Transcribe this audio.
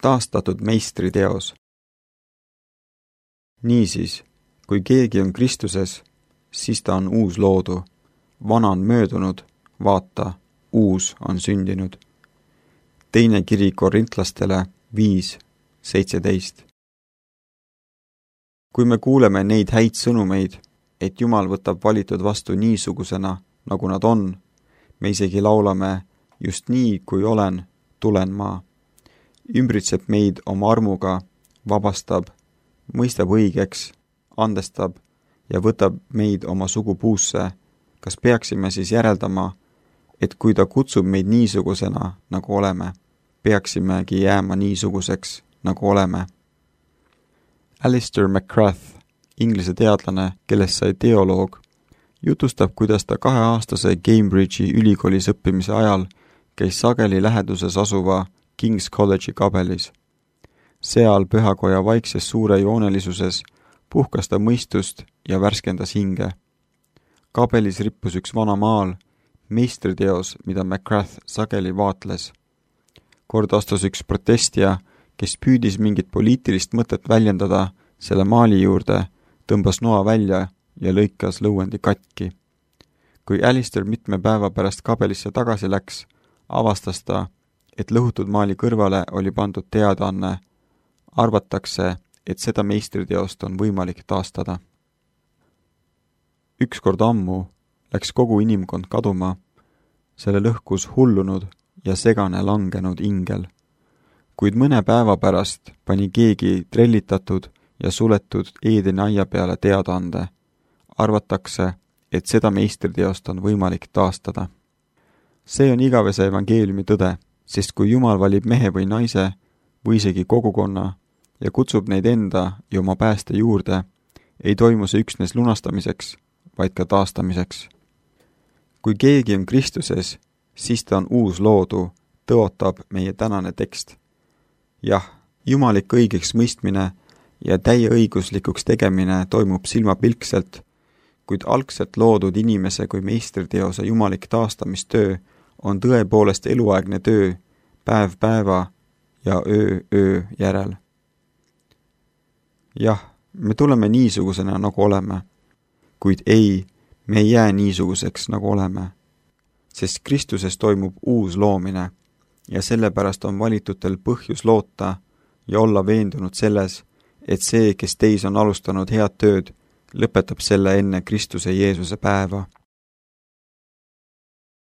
taastatud meistriteos. Niisiis, kui keegi on Kristuses, siis ta on uus loodu. Vana on möödunud, vaata, uus on sündinud. Teine kiri Korintlastele 5:17. Kui me kuuleme neid häid sõnumeid, et Jumal võtab valitud vastu niisugusena, nagu nad on, me isegi laulame, just nii, kui olen, tulen ma. Ümbritseb meid oma armuga, vabastab, mõistab õigeks, andestab ja võtab meid oma sugupuusse. Kas peaksime siis järeldama, et kui ta kutsub meid niisugusena, nagu oleme, peaksimegi jääma niisuguseks, nagu oleme? Alistair McGrath, inglise teadlane, kellest sai teoloog, jutustab, kuidas ta 2-aastase Cambridge'i ülikoolis õppimise ajal käis sageli läheduses asuva King's College'i kabelis. Seal pühakoja vaikses suure joonelisuses puhkas ta mõistust ja värskendas hinge. Kabelis rippus üks vana maal, meistriteos, mida McGrath sageli vaatles. Kord astus üks protestija, kes püüdis mingit poliitilist mõtet väljendada selle maali juurde, tõmbas noa välja ja lõikas lõuendi katki. Kui Alistair mitme päeva pärast kabelisse tagasi läks, avastas ta, et lõhutud maali kõrvale oli pandud teadaanne. Arvatakse, et seda meistriteost on võimalik taastada. Ükskord ammu läks kogu inimkond kaduma, selle lõhkus hullunud ja segane langenud ingel. Kuid mõne päeva pärast pani keegi trellitatud ja suletud Eedeni aia peale teadaande. Arvatakse, et seda meistriteost on võimalik taastada. See on igavese evangeeliumi tõde, sest kui Jumal valib mehe või naise või isegi kogukonna ja kutsub neid enda ja oma pääste juurde, ei toimu see üksnes lunastamiseks, vaid ka taastamiseks. Kui keegi on Kristuses, siis ta on uus loodu, tõotab meie tänane tekst. Jah, jumalik õigeks mõistmine ja täieõiguslikuks tegemine toimub silmapilkselt, kuid algselt loodud inimese kui meistriteose jumalik taastamistöö on tõepoolest eluaegne töö, päev päeva ja öö järel. Jah, me tuleme niisugusena, nagu oleme, kuid ei, me ei jää niisuguseks, nagu oleme, sest Kristuses toimub uus loomine ja sellepärast on valitutel põhjus loota ja olla veendunud selles, et see, kes teis on alustanud head tööd, lõpetab selle enne Kristuse Jeesuse päeva.